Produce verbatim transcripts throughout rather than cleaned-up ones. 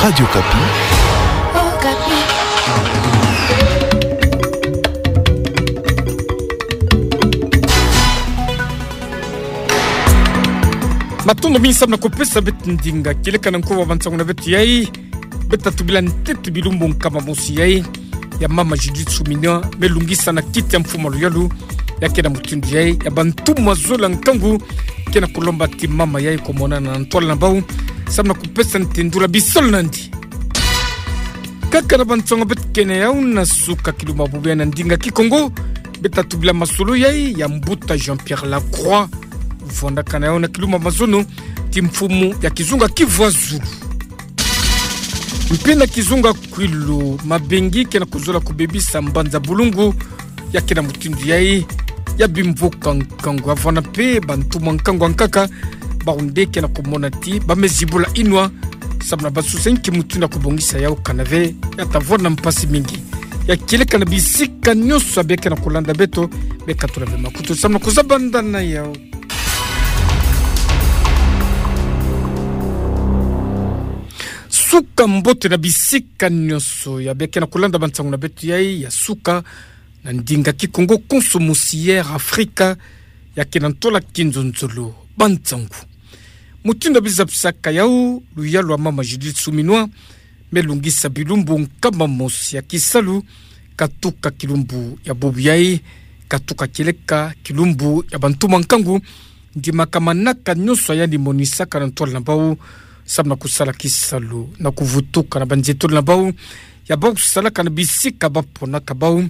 Radio Okapi. Matondo mingi samu na kupesa beto ndinga kieleka na nkowa wa bansangu na beto yai. Beto tatu bila ntete bilumbu nkama mosi yai ya mama Judith Suminwa, me lungisa na kiti ya mfumu a luyalu, ya ke na mutindu yai ya bantu mazola nkangu, ke na kulomba ti mama yai kumonana na ntwala na bau, samu na kupesana tindula bisalu nandi. Kaka na bansangu beto kena yau na suka kilumbu bubu yai na ndinga Kikongo, beto tatu bila masolo yai ya mbuta Jean-Pierre Lacroix, vwandakana yau na kilumbu mazono ti mfumu ya kizunga Kivu ya Zulu. Mpe na kizunga Kwilu, mabengi ke na kuzola kubebisa mbanza bulungu, ya ke na mutindu yai ya bimvuka nkangu. Avwanda mpe bantu mwa nkangu ankaka, bau nde ke na kumona ti ba me zibula inwa, samu na ba susa nki mutindu ya kubongisa yau, kana ve ya ta vwanda mpasi mingi. Ya kieleka na bisika nyonso ya beka na kulanda beto, beka tula ve makutu samu na kuzabandana yau. Suka mbote na bisika nyonso ya beka na kulanda bansangu na beto yai ya suka, na ndinga Kikongo konso mosi ya Air Afrika, ya ke na ntwala kinzonzolo. Bansangu mutindu ya biza bisaka yau, luyalu ya mama Judith Suminwa me lungisa bilumbu nkama mosi ya kisalu, katuka kilumbu ya bubu yai, katuka kieleka kilumbu ya bantu mwa nkangu, ndimaka manaka nyonso ya yandi monisaka na ntwala na bau, samu na kusala kisalu na kuvutuka na banzetolo na bau, ya bau salaka na bisika ba ponaka bau,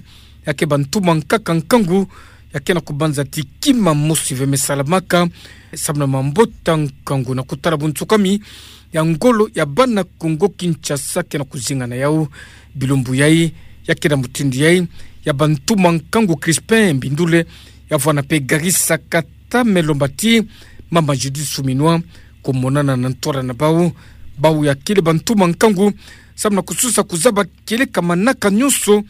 ya ke bantu mwa nkaka nkangu, ya ke na kubanza ti kima mosi ve me salamaka, samu na mambota nkangu na kutala buntsukami ya ngolo ya bana Kongo Kinshasa ke na kuzingana yau. Bilumbu yai, ya ke na mutindu yai ya bantu mwa nkangu Crispin Mbindule, ya vwanda mpe Garissa Kata, me lomba ti mama Judith Suminwa kumonana na ntwala na bau, bau ya kele bantu mwa nkangu, samu na kususa kuzaba kieleka manaka nyonso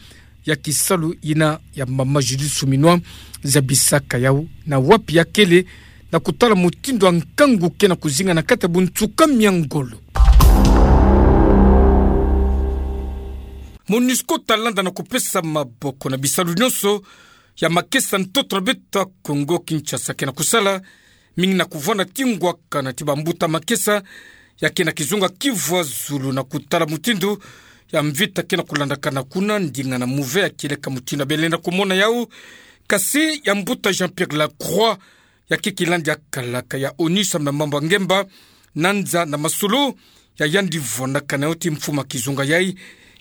ya kisalu yina ya mama Judith Suminwa, zabisaka yau na wapi ya kele, na kutala mutindu ya nkangu ke na kuzinga na kati ya buntsukami ya ngolo. Monusco ta landa na kupesa maboko na bisalu nyonso ya makesa ntoto na beto ya Kongo Kinshasa ke na kusala, mingi na kuvwanda ti ngwakana ti bambuta makesa ya ke na kizunga Kivu ya Zulu, na kutala mutindu ya mvita ke na kulandakana kuna, ndinga na muve ya kieleka mutindu ya belenda kumona yau. Kasi ya mbuta Jean-Pierre Lacroix, ya ke kilandi ya kalaka ya ONU samu na mambu ya ngemba, nanza na masolo ya yandi vwandakana yau ti mfumu ya kizunga yai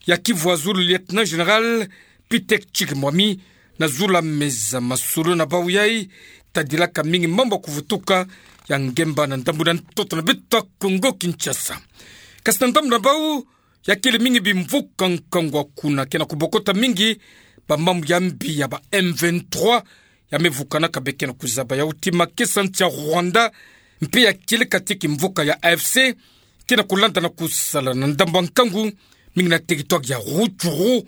ya Kivu ya Zulu, Lieutenant Général Pitek Chikimwami, na zula meza masolo na bau yai, tadilaka mingi mambu ya kuvutuka ya ngemba na ndambu na ntoto na beto ya Kongo Kinshasa. Kasi na ndambu na bau, ya kele mingi bimvuka nkangu kuna ke na kubokota mingi bamambu ya mbi ya ba M vingt-trois, ya me vukanaka, beka na kuzaba yau ti makesa nsi ya Rwanda, mpe ya kieleka ti kimvuka ya A F C ke na kulanda na kusala na ndambu ya nkangu, mingi na territoire ya Rutshuru.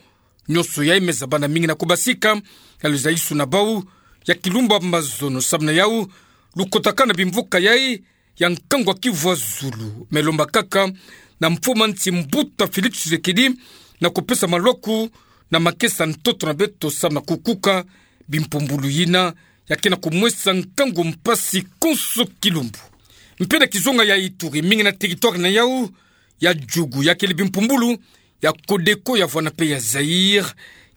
Nyonso yai me zabana mingi na kubasika ya luzayisu na bau ya kilumbu mazono, samu na yau lukotakana bimvuka yai ya nkangu ya Kivu ya Zulu, me lomba kaka na mfumu ya nsi mbuta Félix Tshisekedi na kupesa malwaku na makesa ntoto na beto samu na kukuka bimpumbulu yina ya ke na kumwesa nkangu mpasi konso kilumbu. Mpe na kizunga ya Ituri, mingi na territoire na yau ya Djugu, ya kele bimpumbulu ya Codeco, ya vwanda mpe ya Zaïre,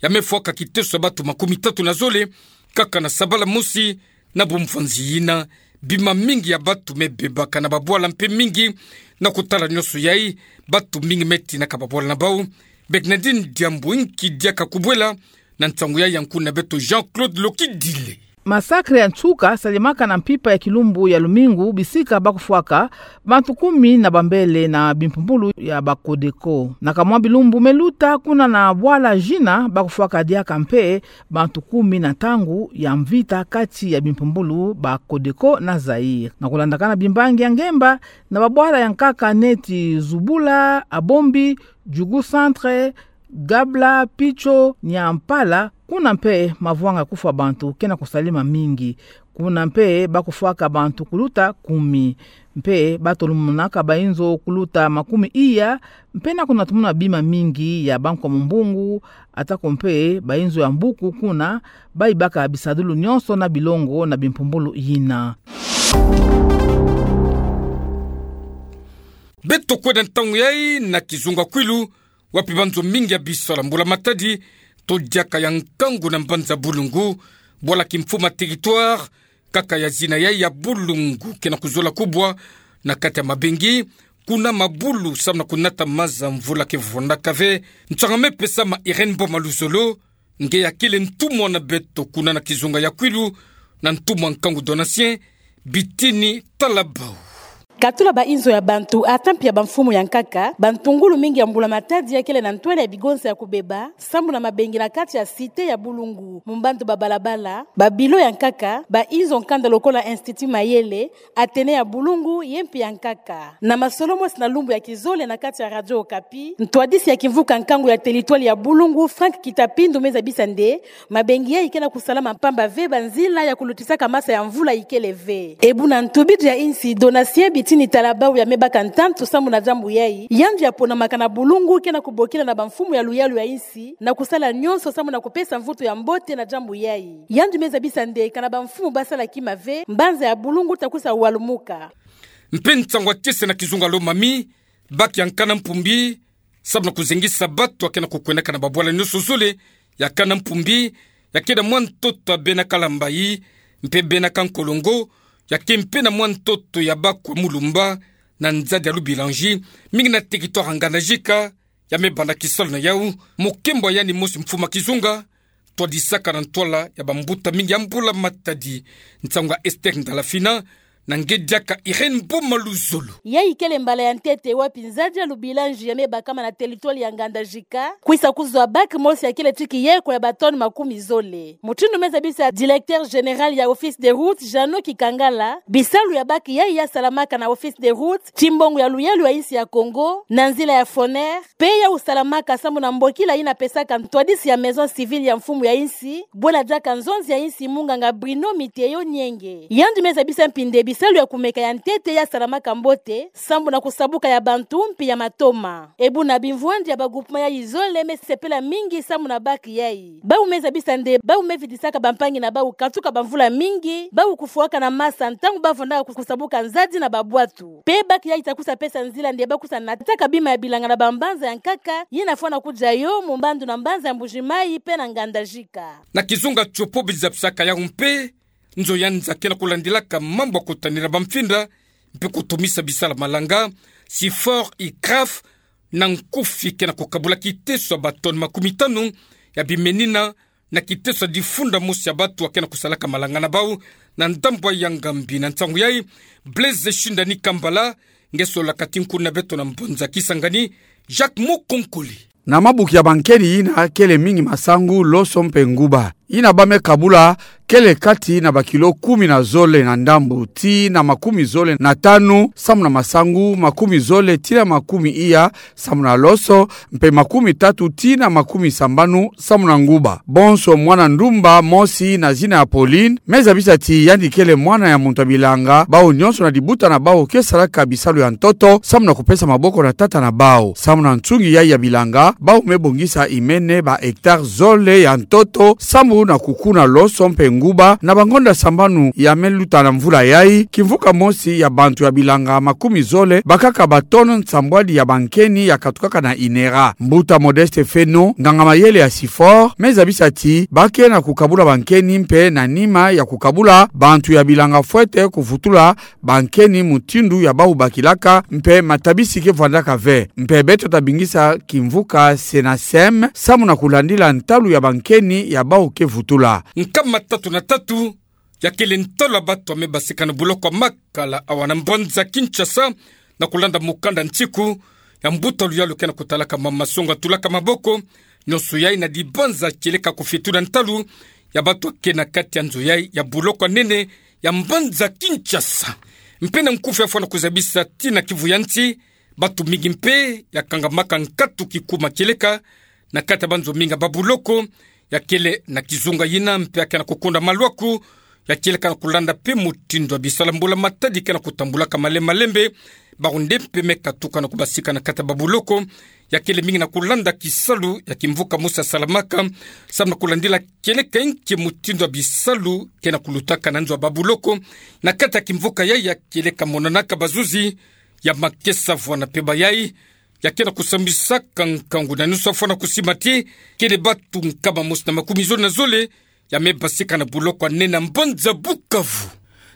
ya me fwaka kiteso ya batu makumi tatu na zole kaka na sabala mosi. Na bumvanzi yina, bima mingi ya batu me bebaka na babwala mpe mingi. Na kutala nyonso yai, batu mingi me tinaka babwala na bau. Bernadine Diambu, nki diaka kubwela na nsangu yai ya nkuna beto Jean-Claude Lokidile? Massacre ya nsuka salemaka na mpimpa ya kilumbu ya lumingu, bisika ba kufwaka bantu kumi na bambele na bimpumbulu ya ba Codeco. Na kamwa bilumbu me luta, kuna na bwala Djina ba kufwaka diaka mpe bantu kumi na ntangu ya mvita kati ya bimpumbulu ba Codeco na Zaïre. Na kulandakana bimbangi ya ngemba na babwala ya nkaka neti Zubula, Abombi, Djugu Centre, Gabla, Pitcho, Niampala, kuna mpe mavwanga kufwa bantu ke na kusalema mingi. Kuna mpe bakufwaka bantu kuluta kumi. Mpe batolomunaka bainzo kuluta makumi iya, mpe na kuna tumona bima mingi ya bankwa mumbungu, atako mpe bainzo ya mbuku kuna, bayibaka bisadulu nyonso na bilongo na bimpumbulu yina. Beto kwenda ntangu yayi na kizunga Kwilu, wapi banzo mingi ya bisalu ya mbula matadi, to diaka ya nkangu na mbanza Bulungu, bwala kimfuma territoire, kaka ya zina yayi ya Bulungu, ke na kuzola kubwa na kati ya mabengi, kuna mabulu samu na kunata maza mvula ke vondaka ve. Nsanga me pesa ma Irène Boma Luzolo, nge ya kele ntumwa na beto kuna na kizunga ya Kwilu, na ntumwa nkangu Donatien Bitini Talabau. Katula bainzo ya bantu, ata mpe ya bamfumu ya nkaka, bantungulu mingi ya mbula matadi ya kele na ntwala ya bigonsa ya kubeba, samu na mabengi na kati ya cité ya Bulungu, mu mbandu ba balabala, ba bilo ya nkaka, bainzo nkanda lokola Institut Mayele, Athénée ya Bulungu, ye mpe ya nkaka. Na masolo mosi na lumbu ya kizole na kati ya Radio Okapi, ntwadisi ya kimvuka nkangu ya territoire ya Bulungu, Franck Kitapindu, me zabisa nde mabengi yayi ke na kusalama mpamba ve, banzila ya kulutisaka masa ya mvula ikele ve. Ebu na ntubidu ya insi, Donatien Bitini Talabau ya me baka ntantu samu na diambu yayi, yandi ya ponamaka na Bulungu ke na kubokila na bamfumu ya luyalu ya insi na kusala nyonso samu na kupesa mvutu ya mbote na diambu yayi. Yandi me zabisa nde kana bamfumu basala kima ve, mbanza ya Bulungu ta kwiza walumuka. Mpe nsangu ya kiese na kizunga Lomami, bac ya nkana mpumbi, samu na kuzengisa bato ya ke na kukwendaka na babwala nyonso zole ya nkana mpumbi, ya ke na mwa ntoto ya Bena Kalambayi, mpe Bena Kankolongo, ya ke mpe na mwa ntoto ya Bakwa Mulumba, na nzadi ya Lubilanji, mingi na territoire ya Ngandajika, ya me banda kisalu na yawu, mokembo ya yandi mosi mfumu ya kizunga, twadisaka na ntwala ya bambuta mingi ya mbula matadi. Nsangu ya Esther Ndalafina, na nge diaka Irène Boma Luzolo. Yayi kele mbala ya ntete wapi nzadi ya Lubilanji ya me bakama na territoire ya Ngandajika, kwiza kuzwa bac mosi ya kele ti kiyeko ya ba tonnes makumi zole. Mutindu me zabisa directeur général ya Office des routes, Jeannot Kikangala, bisalu ya bac yayi ya salamaka na Office des routes, kimbongo ya luyalu ya insi ya Kongo, na nzila ya Foner, mpe yawu salamaka samu na mbokila yina pesaka ntwadisi ya maison civile ya mfumu ya insi, bwena diaka nzonzi ya insi munganga Bruno Miteyo Nyenge. Yandi me zabisa mpi nde bisalu ya kumeka ya ntete ya salamaka mbote, samu na kusabuka ya bantu mpe ya matoma. Ebu na bimvwandi ya ba groupement yayi zole me sepela mingi samu na bac yayi. Bawu me zabisa nde bawu me vidisaka bampangi na bawu katuka bamvula mingi, bawu kufwaka na masa ntangu bavandaka ku-, kusabuka nzadi na babwatu. Mpe bac yayi ta kwiza pesa nzila nde ba kwiza nataka bima ya bilanga na bambanza ya nkaka, yina fwana kudia yo mu mbandu na mbanza ya Mbuji-Mayi mpe na Ngandajika. Na kizunga Tshopo bizabisaka yawu mpe, nzo ya nza ke na kulandilaka mambu ya kutanina bamfinda, mpe kutumisa bisalu ya malanga, SIFOR, ICRAF, na nkufi ke na kukabula kiteso ya ba tonnes makumi tanu ya bimenina, na kiteso ya difunda mosi ya bato ya ke na kusalaka malanga na bawu, na ndambu ya Ngambi. Na nsangu yayi, Blaise Shindani Kambala, nge solaka tinkuni na beto na mbanza Kisangani, Jacques Mukonkole. Na mabuki ya bankeni yina kele mingi masangu, loso mpe nguba. Yina ba me kabula kele kati na bakilo kumi na zole na ndambu, tii na makumi zole na tanu samu na masangu, makumi zole tii na makumi iya samu na loso, mpe makumi tatu tii na makumi sambanu samu na nguba. Bonso mwana ndumba mosi na zina ya Pauline, me zabisa ti yandi kele mwana ya muntu ya bilanga, bawu nyonso na dibuta na bawu ke salaka bisalu ya ntoto, samu na kupesa maboko na tata na bawu. Samu na nsungi yayi ya bilanga, bawu me bongisa imene ba hectares zole ya ntoto, samu na kukuna loso mpe nguba, na bangonda sambanu ya me luta na mvula yayi, kimvuka mosi ya bantu ya bilanga makumi zole bakaka ba tonnes nsambwadi ya bankeni ya katukaka na INERA. Mbuta Modeste Feno, nganga mayele ya SIFOR, me zabisa ti ba ke na kukabula bankeni mpe na nima ya kukabula, bantu ya bilanga fwete kuvutula bankeni mutindu ya bawu bakilaka, mpe matabisi ke vwandaka ve. Mpe beto ta bingisa kimvuka SENASEM, samu na kulandila ntalu ya bankeni ya bawu ke vutula. Nkama tatu na tatu, ya kele ntalu ya bato ya me basika na buloko ya Makala awa na mbanza Kinshasa, na kulanda mukanda nsiku ya mbuta luyalu ke na kutalaka mama songa tulaka maboko, nyonso yayi na dibanza kieleka kufitula ntalu ya bato ya ke na kati ya nzo yayi ya buloko ya nene ya mbanza Kinshasa. Mpe na nkufi ya fwana kuzabisa ti na kivu ya nsi, bato mingi mpe ya kangamaka nkatu kikuma kieleka na kati ya banzo mingi ya babuloko ya kele na kizunga yina, mpe ya ke na kukunda malwaku ya kieleka na kulanda pe mutindu ya bisala mbula matadi ke na kutambulaka malembe malembe. Baronde pe me katuka na kubasika na kati ya babuloko, ya kele mingi na kulanda kisalu ya kimvuka mosi ya salamaka, samu na kulandila kieleka nki mutindu ya bisalu ke na kulutaka na nzo ya babuloko na kati ya kimvuka yayi, ya kieleka monanaka bazuzi ya makesa vwena pe bayayi, ya ke na kusambisaka nkangu na nusu ya fwana kusimati, kele batu nkama mosi na makumi zole na zole ya me basika na buloko ya nene na mbanza Bukavu.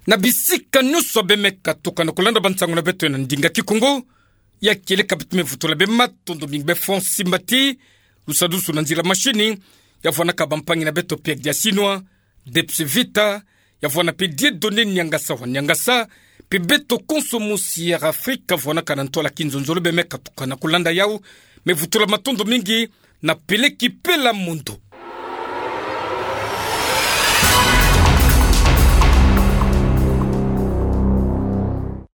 Na bisika nusu ya be me katuka na kulanda bansangu na beto na ndinga Kikongo, ya kieleka beto me vutula be matondo mingi be fwa nsimbati, lusadusu na nzila mashini, ya vwanaka bampangi na beto Pierre Diasinwa, Debs Vita, ya vwana pe Dieudonné Niangasa wa Niangasa, pe beto konso mosi ya Afrika vwanaka na ntwala kinzonzolo be me katuka na kulanda yawu, me vutula matondo mingi na Peleki Pela Mondo.